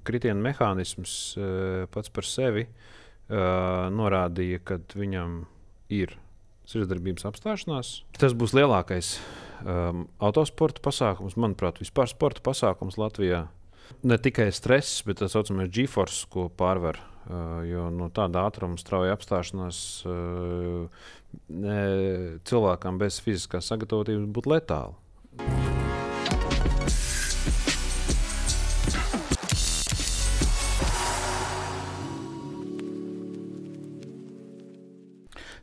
kritiena mehānisms pats par sevi norādīja, ka viņam ir sirdsdarbības apstāšanās. Tas būs lielākais autosporta pasākums, manuprāt, vispār sporta pasākums Latvijā. Ne tikai stress, bet tas saucamais G-force, ko pārvar. Jo tāda ātruma strauja apstāšanās cilvēkam bez fiziskās sagatavotības būtu letāla.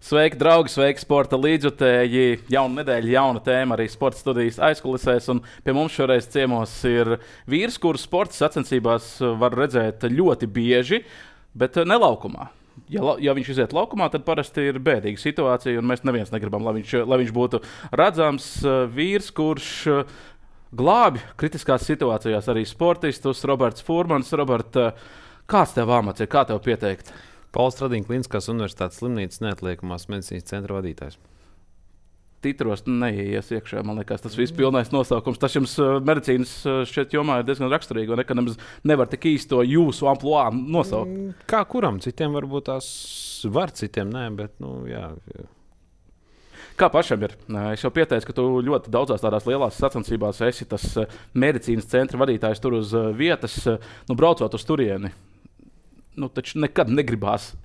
Sveiki, draugi, sveiki, sporta līdzjutēji. Jauna nedēļa, jauna tēma arī sporta studijas aizkulisēs. Un pie mums šoreiz ciemos ir vīrs, kurus sporta sacensībās var redzēt ļoti bieži, bet ne laukumā. Ja viņš iziet laukumā, tad parasti ir bēdīga situācija, un mēs neviens negribam, lai viņš būtu redzams. Vīrs, kurš glābi kritiskās situācijās arī sportistus, Roberts Furmans. Robert, kāds tev amats ir, kā tev pieteikt? Pauls Stradīņa Kliniskās universitātes slimnīcas neatliekamās medicīnas centra vadītājs. Titros neies iekšā, man liekas, tas viss pilnais nosaukums. Tas jums medicīnas šķiet jomā ir diezgan raksturīgi, un ka nemaz nevar tik īsto jūsu amploā nosaukt. Kā kuram? Citiem varbūt tās var, citiem nē, bet jā. Kā pašam ir? Es jau pieteicu, ka tu ļoti daudzās tādās lielās sacensībās esi tas medicīnas centra vadītājs tur uz vietas, braucot uz turieni. Taču nekad negribās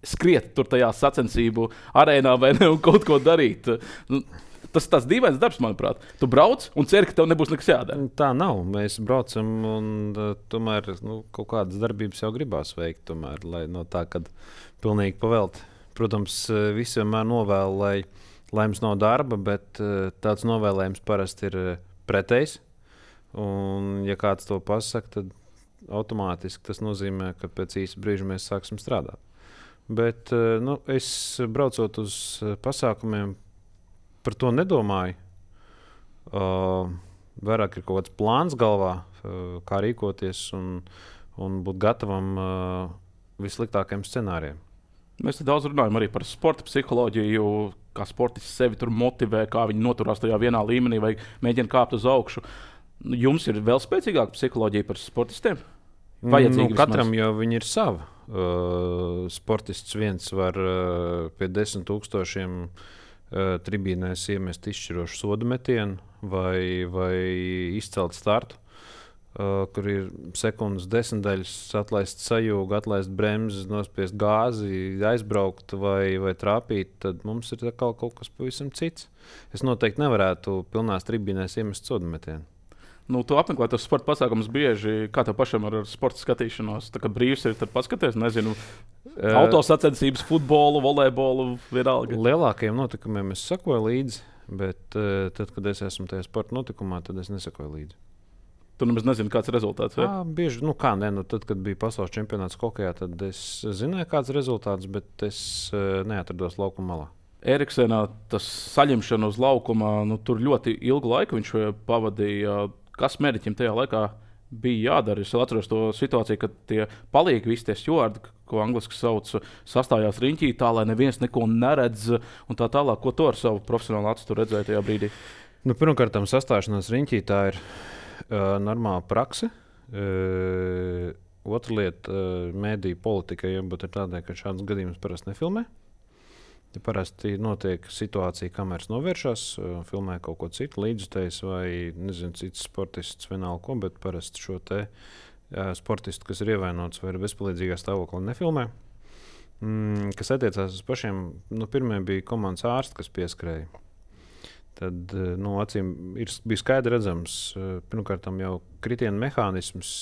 skriet tur tajā sacensību arēnā vai ne un kaut ko darīt. Tas ir tāds dīvains darbs, manuprāt. Tu brauc un ceri, ka tev nebūs nekas jādara. Tā nav. Mēs braucam un tomēr kaut kādas darbības jau gribās veikt. Tomēr, lai no tā, kad pilnīgi pavelt. Protams, visi vienmēr novēl, lai mums nav darba, bet tāds novēlējums parasti ir pretējs. Un ja kāds to pasaka, tad automātiski tas nozīmē, ka pēc īsa brīža mēs sāksim strādāt. Bet es braucot uz pasākumiem, par to nedomāju. Vairāk ir kaut kāds plāns galvā, kā rīkoties un būt gatavam vissliktākajiem scenārijiem. Mēs te daudz runājam arī par sporta psiholoģiju, kā sportists sevi tur motivē, kā viņi noturās tajā vienā līmenī vai mēģina kāpt uz augšu. Jums ir vēl spēcīgāka psiholoģija par sportistiem? Katram jau viņi ir sava. Sportists viens var pie 10,000 tribīnēs iemest izšķirošu sodu metienu vai izcelt startu, kur ir sekundes desmitaļas, atlaist sajūgu, atlaist bremzes, nospiest gāzi, aizbraukt vai trāpīt, tad mums ir kaut kas pavisam cits. Es noteikti nevarētu pilnās tribīnēs iemest sodu metienu. Tu apmeklē tos sporta pasākumus bieži, kā tev pašam ar sporta skatīšanos. Tā kā brīvs ir, tad paskaties, nezinu, autosacensības, futbolu, volejbolu, vienalga. Lielākajiem notikumiem es sekoju līdzi, bet tad, kad es esmu tajā sporta notikumā, tad es nesekoju līdzi. Tu nemaz nezini, kāds ir rezultāts, vai? Bieži, tad, kad bija pasaules čempionāts hokejā, tad es zināju, kāds ir rezultāts, bet es neatrados laukuma malā. Eriksenā tas saņemšana uz laukuma, tur ļoti ilgu laiku viņš pavadīja. Kas mediķim tajā laikā bija jādara? Es atceros to situāciju, kad tie palīgi visi tie stjuardi, ko angliski sauc, sastājās riņķī tā, lai neviens neko neredz un tā tālāk. Ko tu ar savu profesionālu acu redzēji tajā brīdī? Pirmkārt, sastāšanās riņķī tā ir normāla prakse. Otra lieta - mediju politika, jābūt tādai, ka šādas gadījumus parasti nefilmē. Parasti notiek situācija, kameras novēršas, filmē kaut ko citu, līdzjutējs vai cits sportists, vienalga ko, bet parasti šo te sportistu, kas ir ievainots vai ir bezpalīdzīgā stāvoklī, nefilmē. Kas attiecās uz pašiem, pirmie bija komandas ārsti, kas pieskrēja. Tad acīm bija skaidri redzams, pirmkārt jau kritiena mehānisms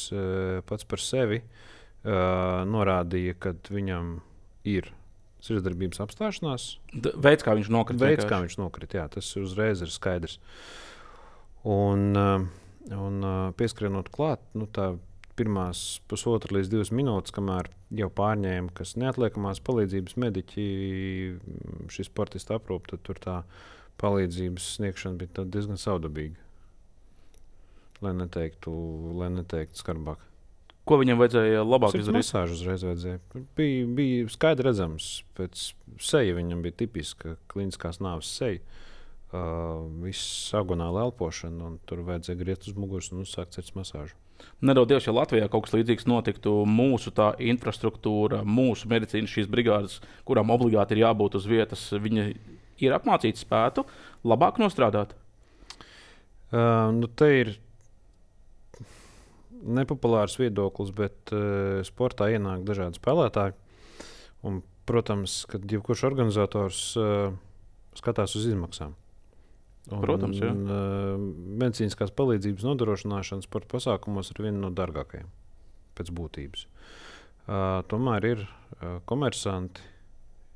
pats par sevi norādīja, ka viņam ir sirdsdarbības apstāšanās. Veids, kā viņš nokrita. Jā, tas uzreiz ir skaidrs. Un pieskrienot klāt, tā pirmās 1,5 līdz 2 minūtes, kamēr jau pārņēma, kas neatliekamās palīdzības mediķi šis sportists aprūp, tad tur tā palīdzības sniegšana bija diezgan savdabīga. Lai neteiktu skarbāk. Ko viņam vajadzēja labāk izdarīt? Masāžu uzreiz vajadzēja. Bija skaidri redzams, pēc seja viņam bija tipiska kliniskās nāves seja. viss agonāla elpošana, un tur vajadzēja griezt uz muguras un uzsākt sirds masāžu. Nedodies, ja Latvijā kaut kas līdzīgs notiktu, mūsu tā infrastruktūra, mūsu medicīnas šīs brigādes, kurām obligāti ir jābūt uz vietas, viņi ir apmācīti spētu labāk nostrādāt? Te ir nepopulārs viedoklis, bet sportā ienāk dažādi spēlētāji. Un, protams, kad jebkurš organizators skatās uz izmaksām. Protams, jā. Medicīniskās palīdzības nodrošināšana sporta pasākumos ir viena no dārgākajām pēc būtības. Tomēr ir komersanti,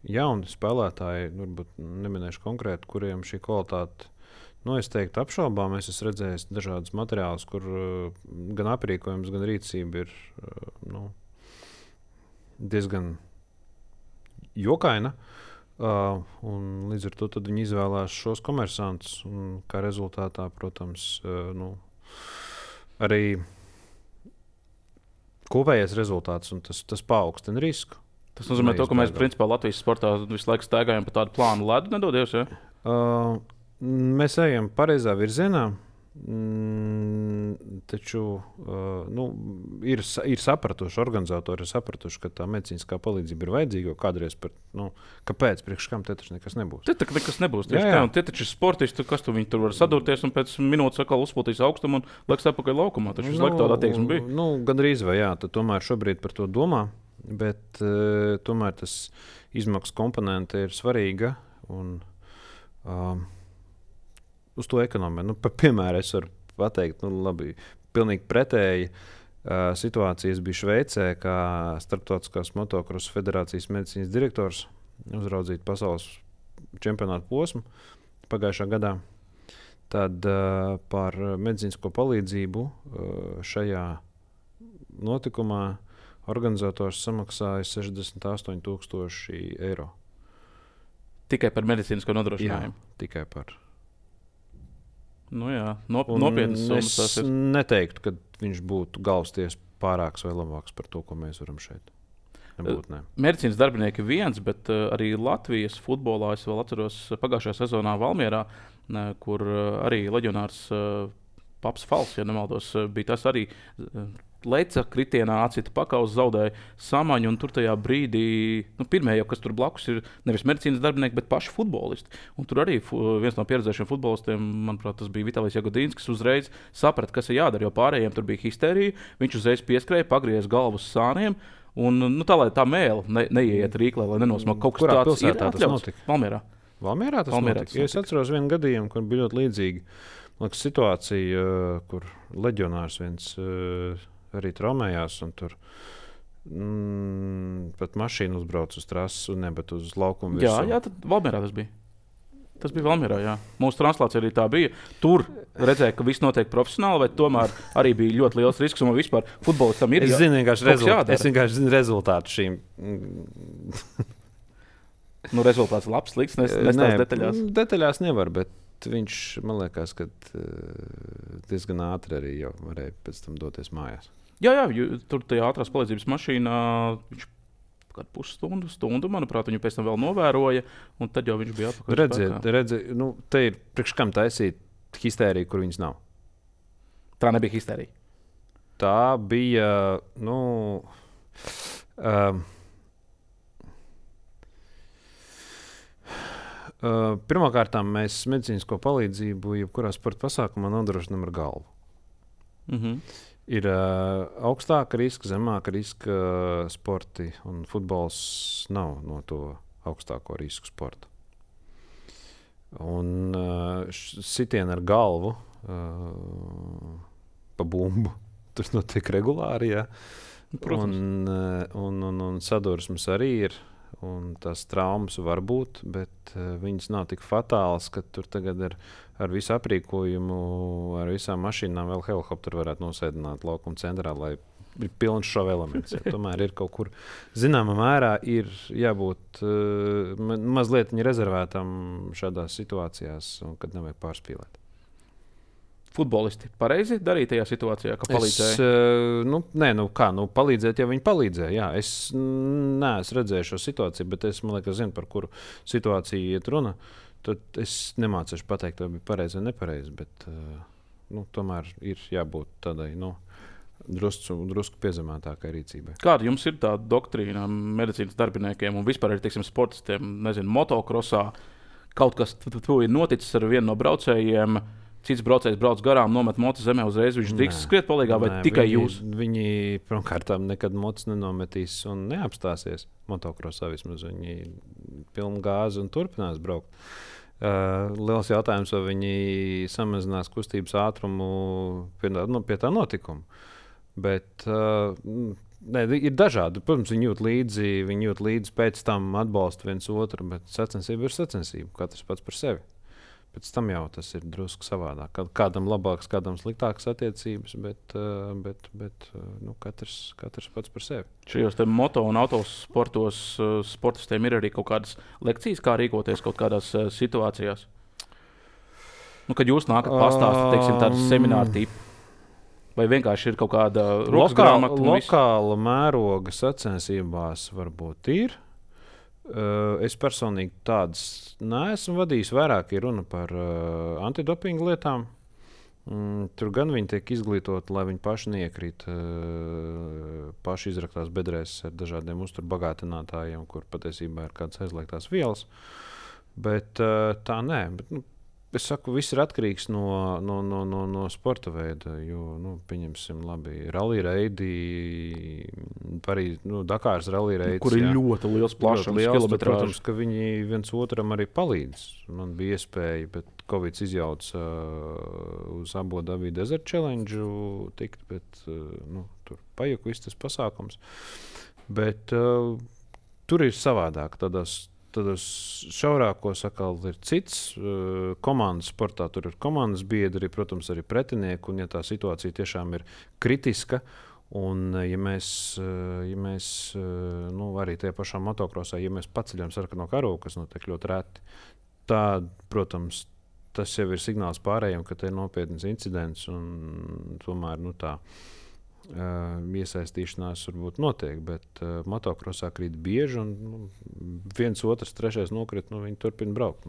jauni spēlētāji, varbūt neminēšu konkrēti, kuriem šī kvalitāte es teiktu apšaubām. Es esmu redzējis dažādus materiālus, kur gan aprīkojums, gan rīcība ir diezgan jokaina. Un līdz ar to viņi izvēlās šos komersantus. Kā rezultātā, protams, arī kopējais rezultāts, un tas paaugstina risku. Tas nozīmē, ka mēs principā Latvijas sportā visu laiku staigājam pa tādu plānu ledu, nedodies? Ja? Mēs ejam pareizā virzienā. Taču ir sapratuši, organizatori ir sapratuši, ka tā medicīniskā palīdzība ir vajadzīga. Kādreiz kāpēc? Priekš kam te taču nekas nebūs? Te nekas nebūs. Tie taču ir sportisti, kas viņi tur var sadurties un pēc minūtes atkal uzpūtīs augstumu un liks atpakaļ laukumā. Taču visu laiku tāda attieksme bija. Gandrīz vai jā, tad tomēr šobrīd par to domā, bet tomēr tas izmaksu komponente ir svarīga. Un, uz to ekonomiju. Piemēram, es varu pateikt, labi, pilnīgi pretēji situācijas bija Šveicē, kā Starptautiskās motokrosa federācijas medicīnas direktors uzraudzīt pasaules čempionātu posmu pagājušā gadā. Tad par medicīnisko palīdzību šajā notikumā organizators samaksāja 68,000 eiro. Tikai par medicīnisko nodrošinājumu? Jā, tikai par. Nopietnas summas. Es neteiktu, ka viņš būtu galvasties pārāks vai labāks par to, ko mēs varam šeit. Medicīnas darbinieki viens, bet arī Latvijas futbolā es vēl atceros pagājušajā sezonā Valmierā, kur arī leģionārs Paps Fals, ja nemaldos, bija tas arī leca kritienā, acita pakaus, zaudēja samaņu, un tur tajā brīdī, pirmie jau, kas tur blakus ir nevis medicīnas darbinieki, bet paši futbolisti. Un tur arī viens no pieredzējušiem futbolistiem, manuprāt, tas bija Vitālijs Jagodīns, kas uzreiz saprata, kas ir jādara, jo pārējiem tur bija histerija, viņš uzreiz pieskrēja, pagriez galvu uz sāniem, un tā, lai tā mēle neieiet rīklē, lai nenosmāk kaut kas tāds ir atļauts. Valmierā tas notika. Ja es atceros vienu gadījumu, kur bija ļoti līdzīga situācija, kur leģionārs viens arī traumējās, un tur pat mašīna uzbrauca uz trases, bet uz laukumu virsmu. Jā, tad Valmierā tas bija. Tas bija Valmierā, jā. Mūsu translācija arī tā bija. Tur redzēja, ka viss notiek profesionāli, vai tomēr arī bija ļoti liels risks, un vispār futbolistam ir es vienkārši zinu rezultātu šīm. Rezultāts labs, slikts, nestāst detaļās. Detaļās nevar, bet viņš, man liekas, ka diezgan ātri arī jau varēja pēc tam doties mājās. Jā, tur tajā ātrās palīdzības mašīnā viņš kādu pusstundu, manuprāt, viņu pēc tam vēl novēroja, un tad jau viņš bija atpakaļ. Redziet, te ir priekš kam taisīt histēriju, kur viņas nav. Tā nebija histērija. Tā bija, pirmkārt, mēs medicīnisko palīdzību jebkurā sporta pasākumā nodrošinām ar galvu. Ir augstāka riska, zemāka riska sporti, un futbols nav no to augstāko risku sporta. Un sitieni ar galvu pa bumbu, tas notiek regulāri, jā. Un sadursmes arī ir. Un tās traumas var būt, bet viņas nav tik fatālas, ka tur tagad ar visu aprīkojumu, ar visām mašīnām vēl helikopteru varētu nosēdināt laukuma centrā, lai ir pilns šovu elements. Ja. Tomēr ir kaut kur zināmā mērā ir jābūt mazliet rezervētam šādās situācijās, kad nevajag pārspīlēt. Futbolisti pareizi darīja tajā situācijā, ka palīdzēja? Palīdzēt, ja viņi palīdzēja. Jā, es neesmu redzējis šo situāciju, bet es zinu, par kuru situāciju iet runa. tad es nemācīšu pateikt, vai bija pareizi vai nepareizi, bet tomēr ir jābūt tādai drusku piezemētākai rīcībai. Kāda jums ir tā doktrīna medicīnas darbiniekiem un vispār arī sportistiem? Nezinu, motokrosā kaut kas ir noticis ar vienu no braucējiem. Cits braucējs brauc garām, nomet mocu zemē, uzreiz viņš drīkst skriet palīgā, vai tikai jūs? Viņi pirmkārt nekad mocu nenometīs un neapstāsies. Motokrosā vismaz viņi pilnu gāzi un turpinās braukt. Liels jautājums, vai viņi samazinās kustības ātrumu pie tā notikuma. Bet ir dažādi. Protams, viņi jūt līdzi, pēc tam atbalsta viens otru, bet sacensība ir sacensība, katrs pats par sevi. Pēc tam jau tas ir drusku savādāk. Kādam labāks, kādam sliktāks attiecības, bet katrs pats par sevi. Šajos moto un autosportos sportistiem ir arī kaut kādas lekcijas, kā rīkoties kaut kādās situācijās. Kad jūs nākat pastāstīt, tādas semināru tipu, vai vienkārši ir kaut kāda rokas grāmata? Lokāla mēroga sacensībās varbūt ir. Es personīgi tādas neesmu vadījis. Vairāk ir runa par antidopingu lietām. Tur gan viņi tiek izglītoti, lai viņi paši neiekrīt paši izraktās bedrēs ar dažādiem uzturbagātinātājiem, kur patiesībā ir kādas aizliegtās vielas. Bet tā nē. Es saku, viss ir atkarīgs no sporta veida. Jo, pieņemsim, labi, rallija reidi, Dakāras rallija reidi. Kur ir ļoti liels plašums, kilometrāžs. Protams, ka viņi viens otram arī palīdz. Man bija iespēja, bet Covid izjauca uz Abu Dhabi Desert Challenge tikt, bet tur pajuka viss tas pasākums. Bet tur ir savādāk. Tādos šaurākos atkal ir cits komandas sportā. Tur ir komandas biedri, protams, arī pretinieki. Un, ja tā situācija tiešām ir kritiska, un ja mēs arī tajā pašā motokrosā, ja mēs paceļam sarkano karogu, kas notiek ļoti reti, tad, protams, tas jau ir signāls pārējiem, ka te ir nopietns incidents. Un tomēr tā iesaistīšanās varbūt notiek, bet motokrosā krīt bieži, un viens, otrs, trešais nokrit, viņi turpina braukt.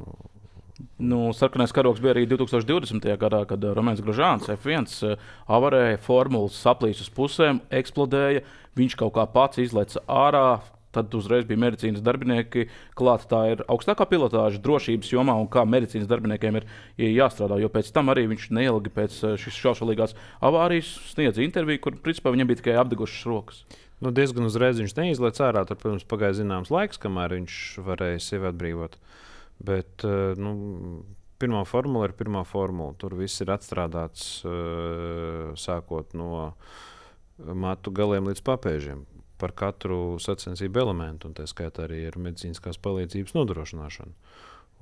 Sarkanais karogs bija arī 2020. gadā, kad Romains Grožāns F1 avarēja, formulas saplīs uz pusēm, eksplodēja, viņš kaut kā pats izleca ārā. Tad uzreiz bija medicīnas darbinieki klāt. Tā ir augstākā pilotāža drošības jomā, un kā medicīnas darbiniekiem ir jāstrādā. Jo pēc tam arī viņš neilgi pēc šīs šaušalīgās avārijas sniedza interviju, kur principā viņam bija tikai apdegušas rokas. Diezgan uzreiz viņš neizlaiž ārā. Tur, protams, pagāja zināms laiks, kamēr viņš varēja sevi atbrīvot. Bet pirmā formula ir pirmā formula. Tur viss ir atstrādāts sākot no matu galiem līdz papēžiem. Par katru sacensību elementu, un tā skaitā arī ar medicīniskās palīdzības nodrošināšanu.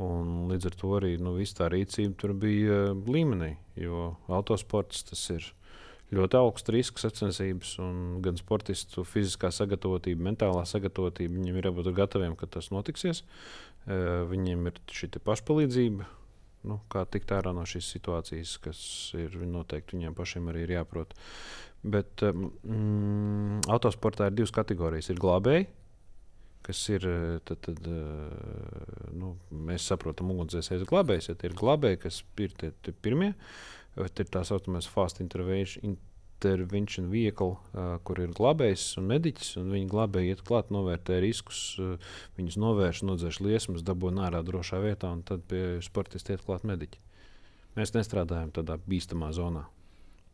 Un līdz ar to arī viss tā rīcība tur bija līmenī, jo autosports tas ir ļoti augsts risks sacensības, un gan sportistu fiziskā sagatavotība, mentālā sagatavotība, viņiem ir jābūt gataviem, ka tas notiksies. Viņiem ir šī pašpalīdzība, kā tikt ārā no šīs situācijas, kas ir noteikti viņiem pašiem arī ir jāprot. Bet autosportā ir divas kategorijas. Ir glābēji, kas ir, mēs saprotam, ugunsdzēsējas glābējs. Ja tie ir glābēji, kas ir tie pirmie, ir tā saucamais fast intervention vehicle, kur ir glābējs un mediķis, un viņi glābēji iet klāt, novērtē riskus, viņus novērš, nodzēš liesmas, dabūna ārā drošā vietā, un tad pie sportista iet klāt mediķi. Mēs nestrādājam tādā bīstamā zonā.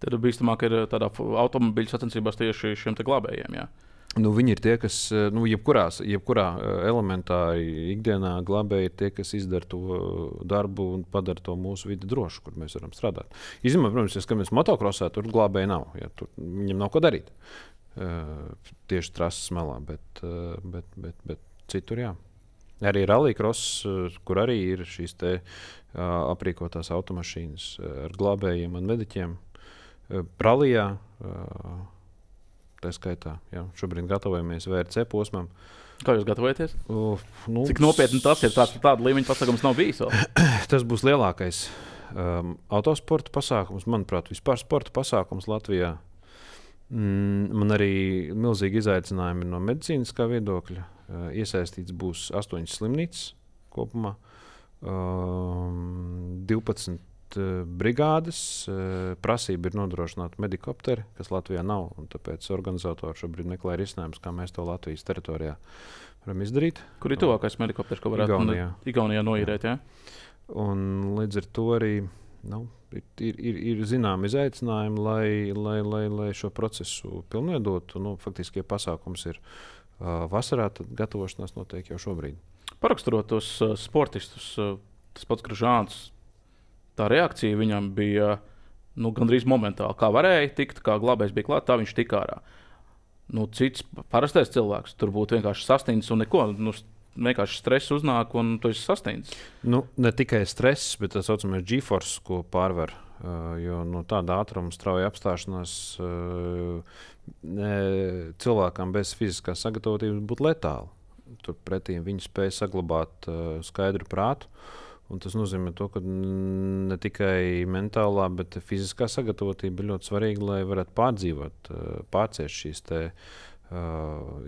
Tad bīstamāk ir tādā automobiļu sacensībās tieši šiem te glābējiem, jā? Viņi ir tie, kas jebkurā elementā ikdienā glābēji ir tie, kas izdara to darbu un padara to mūsu vidi drošu, kur mēs varam strādāt. Izņemot, protams, ja skatāmies motokrosā, tur glābēji nav. Ja, tur viņam nav ko darīt. Tieši trases malā, bet citur jā. Arī rallycross, kur arī ir šīs te aprīkotās automašīnas ar glābējiem un mediķiem. Pralijā, tā skaitā, jā, šobrīd gatavojamies VRC posmam. Kā jūs gatavojaties? Cik nopietni tas ir? Tāda līmeņa pasākums nav bijis vēl? Tas būs lielākais autosporta pasākums, manuprāt, vispār sporta pasākums Latvijā. Man arī milzīgi izaicinājumi no medicīniskā viedokļa. Iesaistīts būs 8 slimnīcas kopumā. 12 brigādes. Prasība ir nodrošināt medikopteri, kas Latvijā nav. Tāpēc organizatori šobrīd meklē risinājumus, kā mēs to Latvijas teritorijā varam izdarīt. Kur ir tuvākais medikopters, ko varētu Igaunijā noīrēt? Ja? Un līdz ar to arī ir zināmi izaicinājumi, lai šo procesu pilnveidotu. Faktiski, ja pasākums ir vasarā, tad gatavošanās notiek jau šobrīd. Paraksturot tos sportistus, tas pats Gražāns, tā reakcija viņam bija gandrīz momentāli. Kā varēja tikt, kā glābējs bija klāt, tā viņš tika ārā. Cits parastais cilvēks tur būtu vienkārši sastindzis un neko. Vienkārši stress uznāk, un tu esi sastindzis. Ne tikai stress, bet tas saucamais G-force, ko pārvar. Jo tāda ātruma strauja apstāšanās cilvēkam bez fiziskās sagatavotības būtu letāla. Turpretī viņi spēja saglabāt skaidru prātu. Un tas nozīmē, ka ne tikai mentālā, bet fiziskā sagatavotība ir ļoti svarīga, lai varētu pārdzīvot, pārciest šīs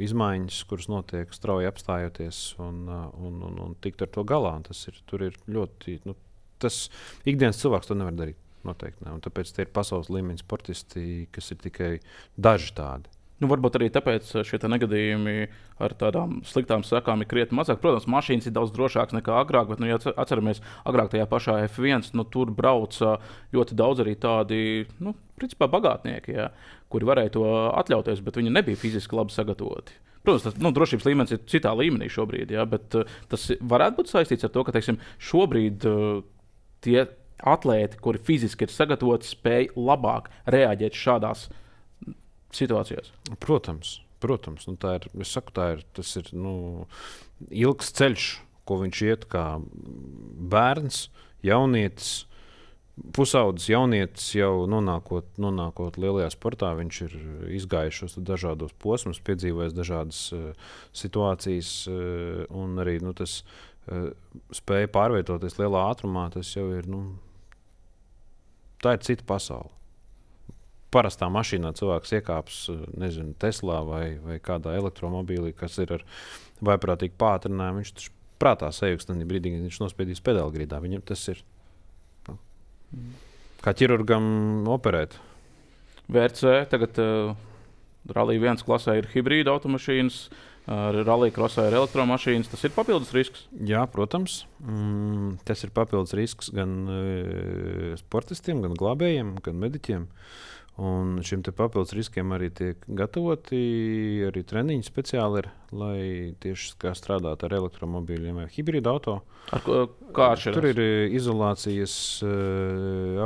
izmaiņas, kuras notiek strauji apstājoties un tikt ar to galā. Tur ir ļoti. Tas ikdienas cilvēks to nevar darīt. Noteikti ne. Un tāpēc tie ir pasaules līmeņa sportisti, kas ir tikai daži tādi. Varbūt arī tāpēc šie negadījumi ar tādām sliktām sekām ir krietni mazāk. Protams, mašīnas ir daudz drošākas nekā agrāk, bet, ja atceramies, agrāk tajā pašā F1, tur brauca ļoti daudz arī tādi, principā bagātnieki, ja, kuri varēja to atļauties, bet viņi nebija fiziski labi sagatavoti. Protams, tas drošības līmenis ir citā līmenī šobrīd, ja, bet tas varētu būt saistīts ar to, ka šobrīd tie atlēti, kuri fiziski ir sagatavoti, spēj labāk reaģēt šādās situācijās. Protams. Tas ir ilgs ceļš, ko viņš iet kā bērns, jaunietis, pusaudzis jaunietis, jau nonākot lielajā sportā. Viņš ir izgājis šos dažādos posmus, piedzīvojis dažādas situācijas, un arī tas spēja pārvietoties lielā ātrumā. Tas jau ir, tā ir cita pasaule. Parastā mašīnā cilvēks iekāps, Teslā vai kādā elektromobīlī, kas ir ar vaiprātīgu pātrinājumu. Viņš taču prātā sajūgs tajā brīdī, kad viņš nospiedīs pedāli grīdā. Viņam tas ir kā ķirurgam operēt. VRC tagad Rallija 1 klasē ir hibrīda automašīnas, Rallija krosā ir elektromašīnas. Tas ir papildus risks? Jā, protams. Tas ir papildus risks gan sportistiem, gan glābējiem, gan mediķiem. Un šim papildus riskiem arī tiek gatavoti arī treniņi speciāli, lai tieši kā strādāt ar elektromobīļiem vai hibrīdu auto. Kā atšķirās? Tur ir izolācijas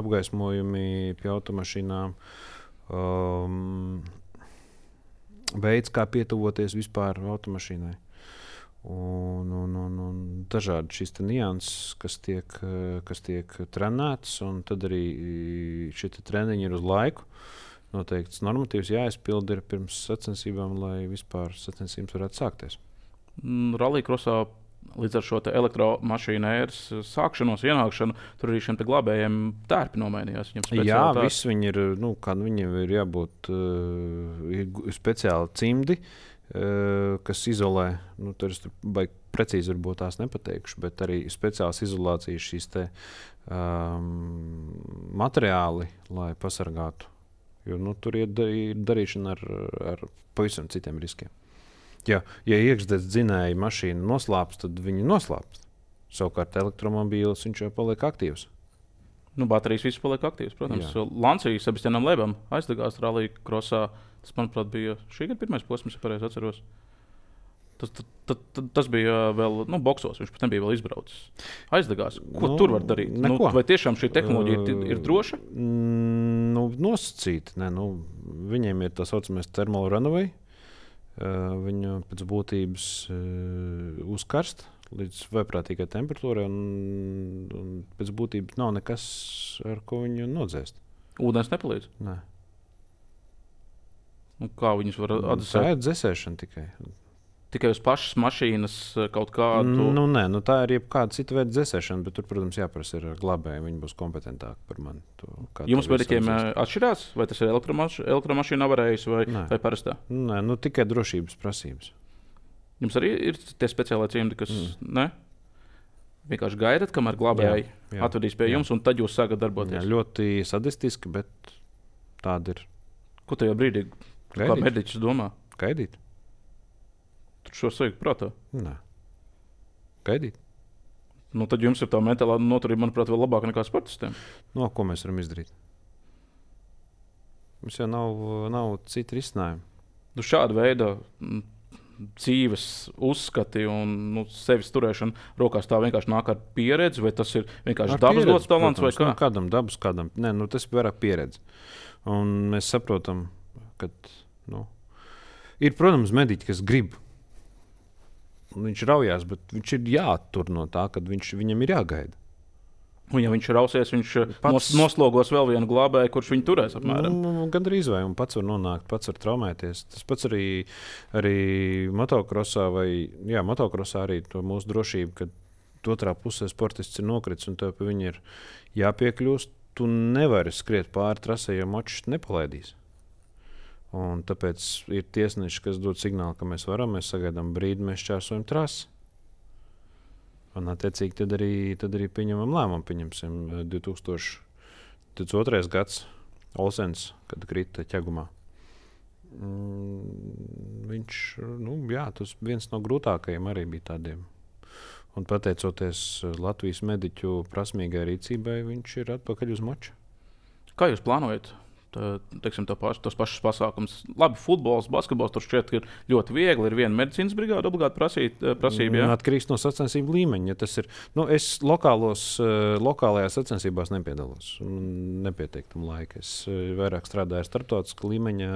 apgaismojumi pie automašīnām, veids, kā pietuvoties vispār automašīnai. Un dažādi šīs nianses, kas tiek trenētas, un tad arī šie treniņi ir uz laiku. Noteikts normatīvs jāizpilda pirms sacensībām, lai vispār sacensības varētu sākties. Rallija krosā līdz ar šo elektromašīnu ēras sākšanos, ienākšanu, tur arī šiem glābējiem tērpi nomainījās. Jā, viss viņi ir, viņiem ir jābūt speciāli cimdi, kas izolē, tur es precīzi varbūt tās nepateikšu, bet arī speciāls izolācijas šīs materiāli, lai pasargātu. Jo tur ir darīšana ar pavisam citiem riskiem. Ja iekšzemes dzinēja mašīna noslāpst, tad viņi noslāpst. Savukārt elektromobīlis viņš jau paliek aktīvs. Baterijas viss paliek aktīvs, protams. Lancijas Sebastianam Lebam aizdegās Rallija krosā. Tas, manuprāt, bija šī gada pirmais posms, ja pareizi atceros. Tas bija vēl boksos, viņš pat nebija vēl izbraucis. Aizdegās. Ko tur var darīt? Vai tiešām šī tehnoloģija ir droša? Nosacīti. Viņiem ir tā saucamais thermal runaway. Viņu pēc būtības uzkarst līdz vaiprātīgai temperatūrai, un pēc būtības nav nekas, ar ko viņu nodzēst. Ūdens nepalīdz? Nē. Kā viņus var atdzesēt? Tā ir dzesēšana tikai. Tikai uz pašas mašīnas kaut kādu? Nē, tā ir jebkāda cita veida dzesēšana, bet tur, protams, jāprasa ir glābēji. Viņi būs kompetentāki par mani. Jums mediķiem atšķirās? Vai tas ir elektromašīna avarējis vai parastā? Nē, tikai drošības prasības. Jums arī ir tie speciālai cimdi, kas ne? Vienkārši gaidat, kamēr glābēji atvedīs pie jums, un tad jūs sākat darboties. Jā, ļoti sadistiski, bet tāda ir. Ko tajā brīdī, kā mediķis domā? Gaidīt. Tur šo sajūtu prātā? Nē. Gaidīt. Nu, tad jums ir tā mentālā noturība, manuprāt, vēl labāka nekā sportistiem. No, ko mēs varam izdarīt? Mums jau nav cita risinājuma. Nu, šāda veida dzīves uzskati un sevis turēšana rokās tā vienkārši nāk ar pieredzi, vai tas ir vienkārši dabas dots talants, vai kā? Kādam dabas, kādam. Nē, tas ir vairāk pieredze. Un mēs saprotam, ka ir, protams, mediķi, kas grib. Viņš raujās, bet viņš ir jāattur no tā, kad viņam ir jāgaida. Un, ja viņš rausies, viņš noslogos vēl vienu glābēju, kurš viņu turēs apmēram. Gandrīz vai un pats var nonākt, pats var traumēties. Tas pats arī motokrosā motokrosā arī to mūsu drošību, kad otrā pusē sportists ir nokritis un tev pie viņa ir jāpiekļūst. Tu nevari skriet pāri trasē, jo močs nepalaidīs. Un tāpēc ir tiesneši, kas dod signālu, ka mēs varam, mēs sagaidām brīdi, mēs šķērsojam trasi. Un, attiecīgi, tad arī pieņemam lēmumu. Pieņemsim 2022. gads Olsens, kad krita ķegumā. Viņš, tas viens no grūtākajiem arī bija tādiem. Un pateicoties Latvijas mediķu prasmīgai rīcībai, viņš ir atpakaļ uz moča. Kā jūs plānojat? Tos pašus pasākumus. Labi, futbols, basketbols tur šķiet, ir ļoti viegli. Ir viena medicīnas brigāde obligāti prasība. Jā? Atkarīgs no sacensību līmeņa. Ja tas ir, es lokālajās sacensībās nepiedalos. Nepietiek tam laika. Es vairāk strādāju ar starptautiskā līmeņa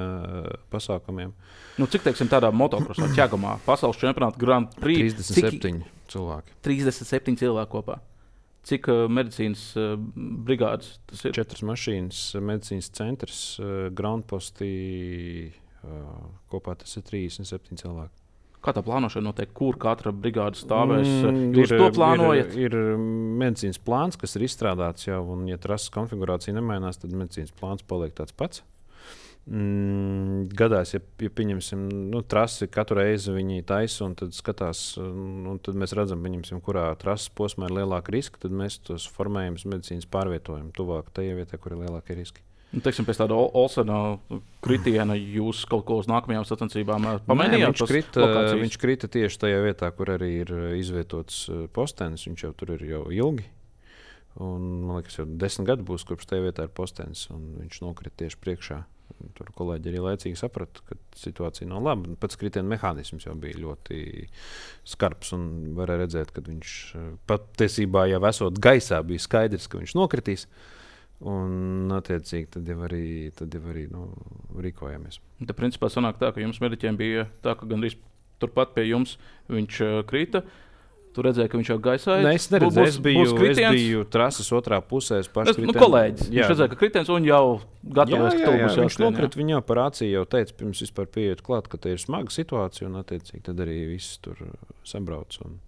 pasākumiem. Cik, tādā motokrosā, ķegumā, pasaules čempionāta Grand Prix? 37 cilvēki. 37 cilvēki kopā. Cik medicīnas brigādes tas ir? 4 mašīnas, medicīnas centrs, groundpostī, kopā tas ir 37 cilvēki. Kā tā plānošana notiek? Kur katra brigāde stāvēs? Jūs to plānojat? Ir medicīnas plāns, kas ir izstrādāts jau, un ja trases konfigurācija nemainās, tad medicīnas plāns paliek tāds pats. Gadās, ja pieņemsim, trasi katru reizi viņi taisa un tad skatās, un tad mēs redzam, kurā trases posmā ir lielāka riska, tad mēs tos formējumus medicīnas pārvietojam tuvāk tajā vietā, kur ir lielākie riski. Pēc tāda Olsena kritiena jūs kaut ko uz nākamajām sacensībām pamainījāt? Viņš krita tieši tajā vietā, kur arī ir izvietots postenis. Viņš jau tur ir jau ilgi. Un, man liekas, jau 10 gadu būs, kopš tajā vietā ir postenis, un viņš nokrita tieši priekšā. Tur kolēģi arī laicīgi saprata, ka situācija nav laba. Pats kritiena mehānisms jau bija ļoti skarbs, un varēja redzēt, ka viņš patiesībā jau esot gaisā, bija skaidrs, ka viņš nokritīs. Un, attiecīgi, tad jau arī rīkojamies. Tad, principā, sanāk tā, ka jums mediķiem bija tā, ka gandrīz turpat pie jums viņš krita. Tu redzēji, ka viņš jau gaisā ir? Nē, es neredzēju. Es biju trases otrā pusē. Kolēģis. Viņš redzēja, ka kritiens un jau gatavojas, ka to būs jāskrien. Viņš nokrita, viņa par acī jau teica, pirms vispār pieiet klāt, ka te ir smaga situācija, un attiecīgi tad arī viss tur sabrauc un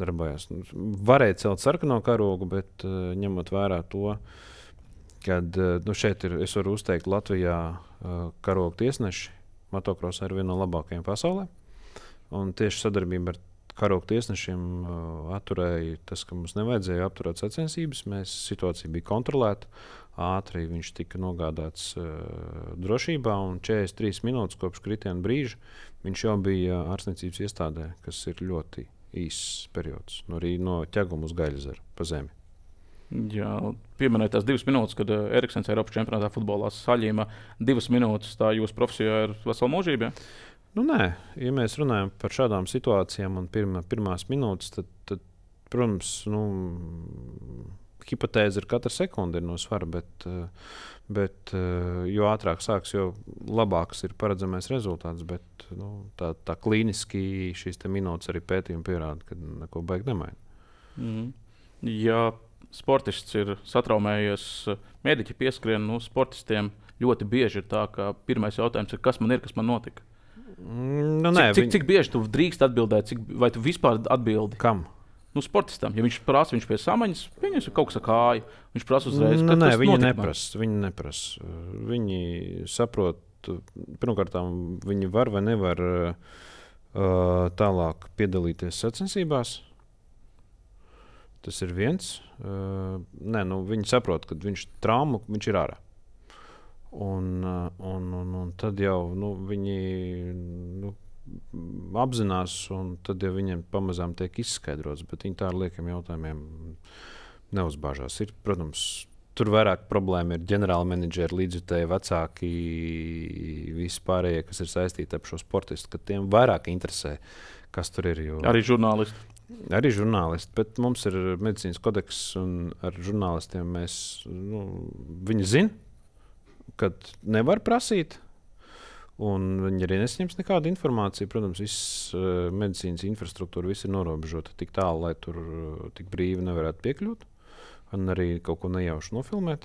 darbojās. Varēja celt sarkano karogu, bet ņemot vērā to, kad šeit es varu uzteikt Latvijā karogu tiesneši. Motokrosā ir viena no labākajiem pasaulē. Un tieši sadarbība ar karogu tiesnešiem atturēja tas, ka mums nevajadzēja apturēt sacensības. Situācija bija kontrolēta. Ātri viņš tika nogādāts drošībā, un 43 minūtes kopš kritiena brīža viņš jau bija ārstniecības iestādē, kas ir ļoti īss periods. Arī no ķeguma uz Gaļezeru pa zemi. Jā, pieminēt tās 2 minūtes, kad Eriksens Eiropas čempionātā futbolā saļīma 2 minūtes. Tā jūsu profesijā ir vesela mūžība? Nē, ja mēs runājam par šādām situācijām un pirmās minūtes, tad protams, hipotēze ir katra sekunde ir no svara, bet jo ātrāk sāks, jo labāks ir paredzamais rezultāts. Bet tā klīniski šīs minūtes arī pētījumi pierāda, ka neko baigi nemaina. Ja sportists ir satraumējies, mediķi pieskrien, sportistiem ļoti bieži ir tā, ka pirmais jautājums ir, kas man notika? Cik bieži tu drīkst atbildēt, vai tu vispār atbildi? Kam? Sportistam. Ja viņš prasa, viņš pie samaņas, viņam ir kaut kas ar kāju. Viņš prasa uzreiz, viņi neprasa. Viņi saprot, pirmkārt, viņi var vai nevar tālāk piedalīties sacensībās. Tas ir viens. Viņi saprot, ka viņš traumu, viņš ir ārā. Un tad jau viņi apzinās, un tad jau viņiem pamazām tiek izskaidrots, bet viņi tā ar liekiem jautājumiem neuzbāžās. Ir, protams, tur vairāk problēma ir ģenerāla menedžeri, līdzjutēji, vecāki, visi pārējie, kas ir saistīti ar šo sportistu, ka tiem vairāk interesē, kas tur ir. Arī žurnālisti. Arī žurnālisti, bet mums ir medicīnas kodeks, un ar žurnālistiem viņi zina, kad nevar prasīt. Un viņi arī nesaņems nekādu informāciju. Protams, viss medicīnas infrastruktūra viss ir norobežota tik tālu, lai tur tik brīvi nevarētu piekļūt. Un arī kaut ko nejauši nofilmēt.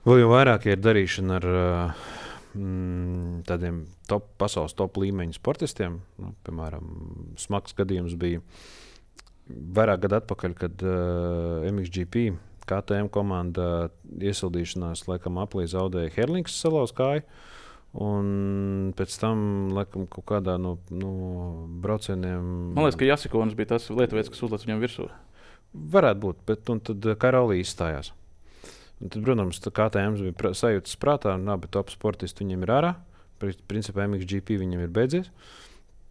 Vēl jau vairāk ir darīšana ar tādiem pasaules top līmeņa sportistiem. Piemēram, smags gadījums bija vairāk gadu atpakaļ, kad MXGP KTM komanda iesildīšanās laikam aplī zaudēja Herlings salauz kāju. Un pēc tam, laikam, kaut kādā no braucieniem. Man liekas, ka Jasikonis bija tas lietuvietis, kas uzlēc viņam virsū. Varētu būt, bet tad Karolī izstājās. Un tad, protams, KTM bija sajūtas prātā, un abi top sportisti viņiem ir ārā. Principā MXGP viņiem ir beidzies.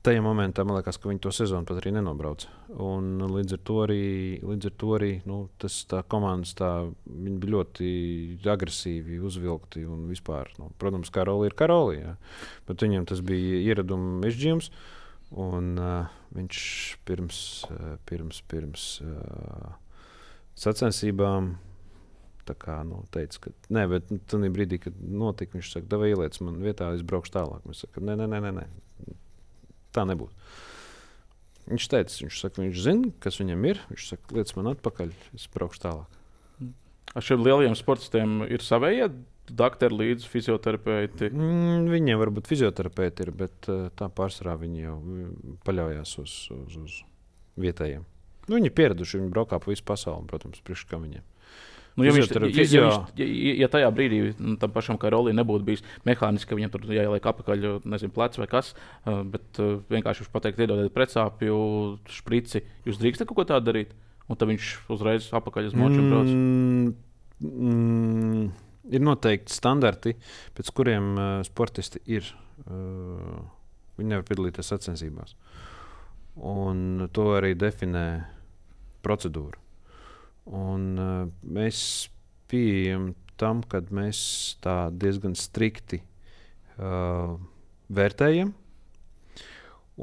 Tajā momentā man liekas, ka viņi to sezonu pat arī nenobrauca. Un līdz ar to arī tā komandas viņi bija ļoti agresīvi uzvilkti un vispār. Protams, Karoli ir Karoli, jā. Bet viņam tas bija ieraduma mežģījums. Un viņš pirms sacensībām teica, ka nē, bet tajā brīdī, kad notika, viņš saka, davai ieliec man vietā, es braukšu tālāk. Mēs saka, nē. Tā nebūtu. Viņš saka, viņš zina, kas viņam ir. Viņš saka, liec man atpakaļ, es braukšu tālāk. Ar šiem lielajiem sportistiem ir savējie doktori līdzi fizioterapeiti? Viņiem varbūt fizioterapeiti ir, bet tā pārsvarā viņi jau paļaujās uz vietējiem. Viņi ir pieraduši, viņi braukā pa visu pasauli, protams, priekš kā viņiem. Ja tajā brīdī tam pašam Karolī nebūtu bijis mehāniski, ka viņam tur jāieliek apakaļ, nezinu, plecs vai kas, bet vienkārši viņš pateikt, iedodiet pretsāpju šprici, jūs drīkstat kaut ko tādu darīt? Un tad viņš uzreiz apakaļ uz močiem brauc? Ir noteikti standarti, pēc kuriem sportisti ir. Viņi nevar piedalīties sacensībās. Un to arī definē procedūra. Un mēs pieejam tam, kad mēs tā diezgan strikti vērtējam.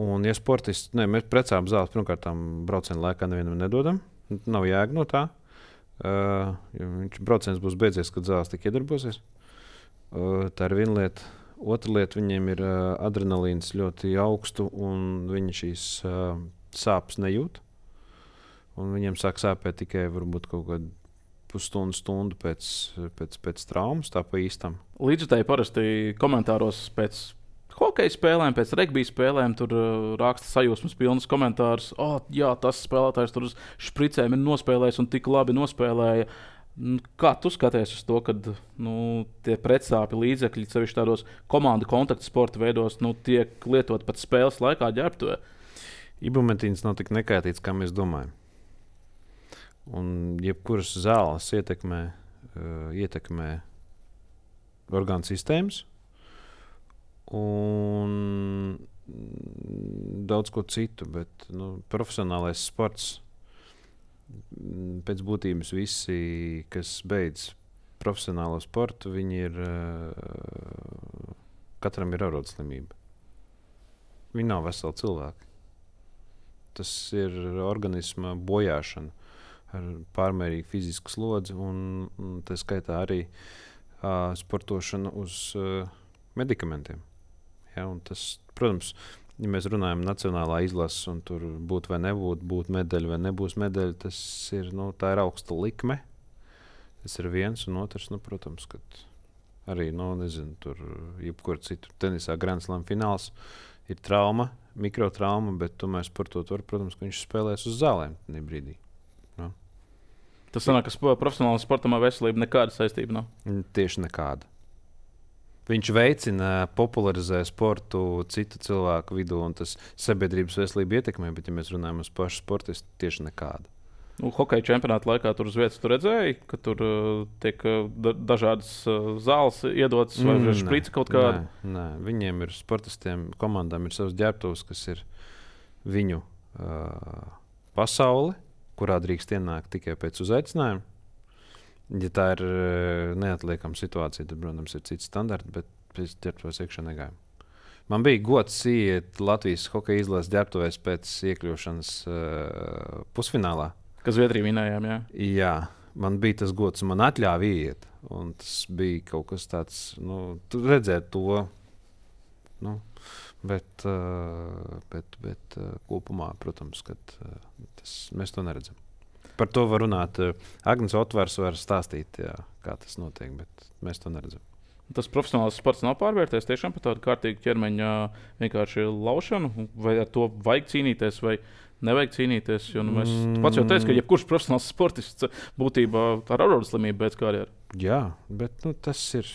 Un, ja sportists, mēs precām zāles, pirmkārt, tam brauciena laikā nevienam nedodam. Nav jēga no tā. Brauciens būs beidzies, kad zāles tik iedarbosies. Tā ir viena lieta. Otra lieta, viņiem ir adrenalīns ļoti augstu, un viņi šīs sāpes nejūt. Un viņiem sāk sāpēt tikai varbūt kaut kādu pusstundu pēc traumas, tā pa īstam. Līdzjutēji parasti komentāros pēc hokeja spēlēm, pēc regbija spēlēm tur raksta sajūsmas pilnas komentārus. Jā, tas spēlētājs tur uz špricēm ir nospēlējis un tik labi nospēlēja. Kā tu skaties uz to, kad tie pretsāpju līdzekļi, sevišķi tādos komandu kontaktu sporta veidos, tiek lietot pat spēles laikā ģērbtuvē? Ibumetīns nav tik nekaitīgs, kā mēs domājam. Un jebkuras zāles ietekmē orgānu sistēmas un daudz ko citu, bet profesionālais sports pēc būtības visi, kas beidz profesionālo sportu, viņi ir katram ir arodslimība. Viņi nav veseli cilvēki. Tas ir organisma bojāšana ar pārmērīgu fizisku slodzi un tā skaitā arī sportošana uz medikamentiem. Ja, un tas, protams, ja mēs runājam nacionālā izlases un tur būt vai nebūt, būt medaļa vai nebūs medaļa, tas ir, tā ir augsta likme. Tas ir viens un otrs, protams, kad arī, tur jebkur citur tenisā Grand Slam fināls ir trauma, mikrotrauma, bet tomēr sportot var, protams, ka viņš spēlēs uz zālēm tajā brīdī. Tas sanāk, ka profesionālam sportam ar veselību nekāda saistība nav? Tieši nekāda. Viņš veicina, popularizē sportu citu cilvēku vidū, un tas sabiedrības veselību ietekmē, bet, ja mēs runājam uz pašu sportistu, tieši nekāda. Hokeja čempionāta laikā tur uz vietas tu redzēji, ka tur tiek dažādas zāles iedotas vai šprici kaut kāda? Nē, viņiem ir sportistiem, komandām ir savs ģērbtuves, kas ir viņu pasaule, kurā drīkst ienākt tikai pēc uzaicinājuma. Ja tā ir neatliekama situācija, tad, protams, ir cits standarts, bet pēc ģērbtuves iekšā negājām. Man bija gods iet Latvijas hokeja izlases ģērbtuvēs pēc iekļūšanas pusfinālā. Kas Zviedrija vinējām, jā? Jā, man bija tas gods, un man atļāva iet. Un tas bija kaut kas tāds, tu redzēt to. Bet kopumā, protams, kad mēs to neredzam. Par to var runāt. Agnes Otvars var stāstīt, jā, kā tas notiek, bet mēs to neredzam. Tas profesionāls sports nav pārvērties tiešām par tādu kārtīgu ķermeņa vienkārši laušanu, vai ar to vajag cīnīties, vai nevajag cīnīties. Tu pats jau teici, ka jebkurš profesionāls sportists būtībā ar arodu slimību beidz karjeru. Jā, bet tas ir